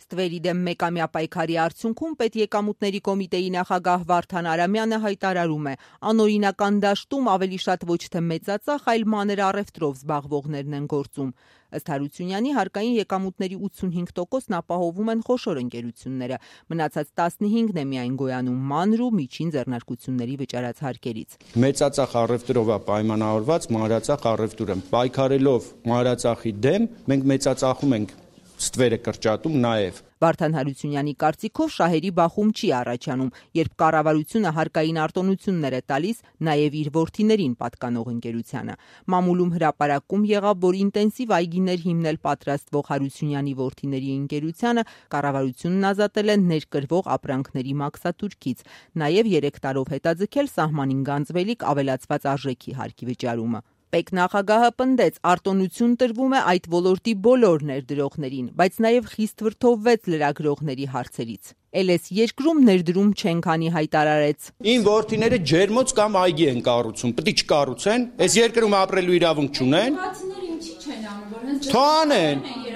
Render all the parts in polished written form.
Ստվերի դեմ մեկամյա պայքարի արդյունքում պետեկամուտների կոմիտեի նախագահ Վարդան Արամյանը հայտարարում է, անօրինական դաշտում ավելի շատ ոչ թե մեծածախ, այլ մանր առևտրով զբաղվողներն են գործում։ Ըստ Հարությունյանի, հարկային եկամուտների 85%-ն ապահովում են խոշոր ընկերությունները, մնացած 15%-ն է միայն գոյանում մանր ու միջին ձեռնարկությունների վճարած հարկերից։ Մեծածախ առևտրով է պայմանավորված մանրածախ առևտուրը։ Պայքարելով մանրածախի դեմ, մենք մեծածախում ենք ստվերը կրճատում նաև։ Վարդան Հարությունյանի կարծիքով շահերի բախում չի առաջանում, երբ կառավարությունը հարկային արտոնություններ է տալիս նաև իր որդիներին պատկանող ընկերությանը։ Մամուլում հրապարակում եղավ, որ ինտենսիվ այգիներ հիմնել պատրաստվող Հարությունյանի որդիների ընկերությանը կառավարությունն ազատել է ներկրվող ապրանքների մաքսատուրքից, նաև 3 տարով հետաձգել սահմանին գանձվելիք ավելացված արժեքի հարկի վճարումը։ Պետնախագահը պնդեց, արտոնություն տրվում է այդ ոլորտի բոլոր ներդրողներին, բայց նաև խիստ վրդովվեց լրագրողների հարցերից։ Էլես երկրում ներդրում չեն քանի հայտարարեց։ Իմ որդիները ջերմոց կամ այգի են կառուցում, պետք է չկառուցեն, այս երկրում ապրելու իրավունք չունեն։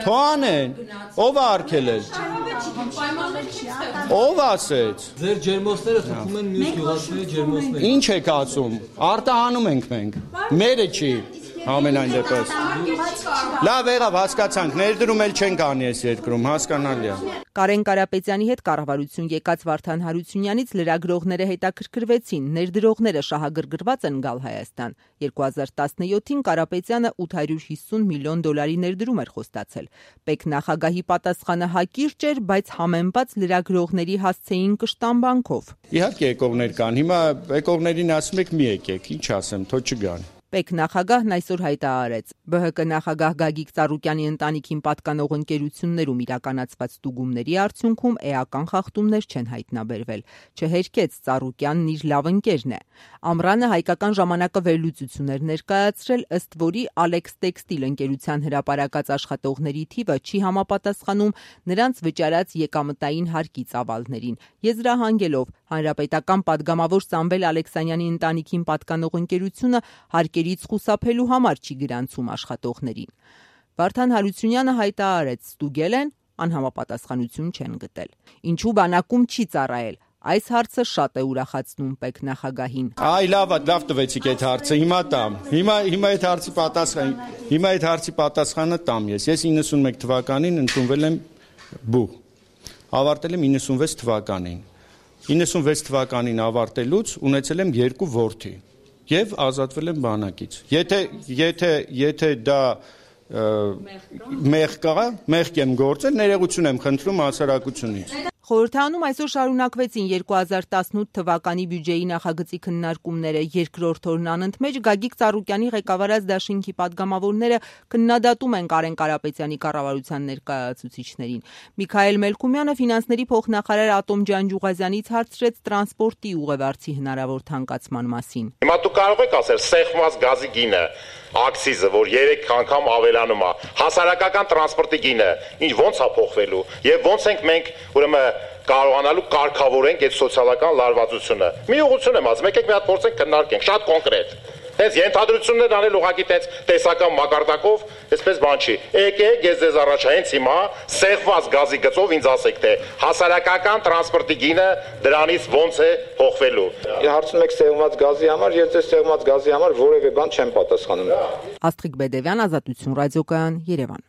Թողանեն, ով է արգելել։ Ով ասեց։ Ձեր ջերմոցները թվում են մյուս գյուղացիների ջերմոցները։ Ինչ եք ասում։ Արտահանում ենք մենք։ Մերը չի։ Ամենայն դեպս։ Լավ եղավ, հասկացանք, ներդրում էլ չենք անի այս երկրում, հասկանալի է։ Կարեն Կարապետյանի հետ կառավարություն եկած Վարդան Հարությունյանից լրագրողները հետաքրքրվեցին, ներդրողները շահագրգռված են գալ Հայաստան։ 2017-ին Կարապետյանը $850 միլիոն ներդրում էր խոստացել։ Պետնախագահի պատասխանը հակիրճ էր, բայց համեմված լրագրողների հասցեին կշտամբանքով։ Իհարկե եկողներ կան, հիմա եկողներին ասում եք մի եկեք, ինչ ասեմ, թող չգան։ Պետնախագահն այսօր հայտարարեց, ԲՀԿ նախագահ Գագիկ Ծառուկյանի ընտանիքին պատկանող ընկերություններում իրականացված ստուգումների արդյունքում էական խախտումներ չեն հայտնաբերվել։ Չհերքեց Ծառուկյանն իր լավ ընկերն է։ Ամռանը Հայկական ժամանակը վերլուծություն էր ներկայացրել, ըստ որի Alex Textile ընկերության հրապարակած աշխատողների թիվը չի համապատասխանում նրանց վճարած եկամտային հարկի ծավալներին։ Եզրահանգելով Հանրապետական պատգամավոր Սամվել Ալեքսանյանի ընտանիքին պատկանող ընկերությունը հարկերից խուսափելու համար չի գրանցում աշխատողներին։ Վարդան Հարությունյանը հայտարարեց, ստուգել են, անհամապատասխանություն չեն գտել։ Ինչու բանակում չի ծառայել։ Այս հարցը շատ է ուրախացնում պետնախագահին։ Այ լավ տվեցիք այդ հարցը, հիմա տամ։ Հիմա այդ հարցի պատասխանը տամ ես։ Ես 91 թվականին ընդունվել եմ բուհ։ Ավարտել եմ 96 թվականին։ 96 թվականին ավարտելուց ունեցել եմ 2 որդի եւ ազատվել եմ բանակից։ Եթե դա մեղք եմ գործել, ներողություն եմ խնդրում հասարակությունից։ Խորհրդարանում այսօր շարունակվեցին 2018 թվականի բյուջեի նախագծի քննարկումները։ Երկրորդ օրն անընդմեջ Գագիկ Ծառուկյանի ղեկավարած դաշինքի պատգամավորները քննադատում են Կարեն Կարապետյանի կառավարության ներկայացուցիչներին։ Միքայել Մելքումյանը ֆինանսների փոխնախարար Ատոմ Ջանջուղազյանից հարցրեց տրանսպորտի ուղևորցի հնարավոր թանկացման մասին։ Հիմա դուք կարող եք ասել սեղմված գազի գինը, աքսիզը, որ 3 անգամ ավելանում է, հասարակական տրանսպորտի գինը, ինչ ոնց է փոխվելու եւ ոնց ենք մենք ուրեմն կարողանալու կարգավորենք այդ սոցիալական լարվածությունը։ Մի ուղղություն եմ ասում, եկեք մի հատ փորձենք քննարկենք, շատ կոնկրետ։ Հենց ենթադրություններ անել ուղղակի տենց տեսական մակարդակով, այսպես բան չի։ Եկեք, ես ձեզ առաջ հենց հիմա սեղմված գազի գծով ինձ ասեք, թե հասարակական տրանսպորտի գինը դրանից ոնց է փոխվելու։ Հարցնում եք սեղմված գազի համար, ես ձեզ սեղմված գազի համար որևէ բան չեմ պատասխանում։ Աստղիկ Բեդևյան, Ազատություն ռադիոկայան, Երևան։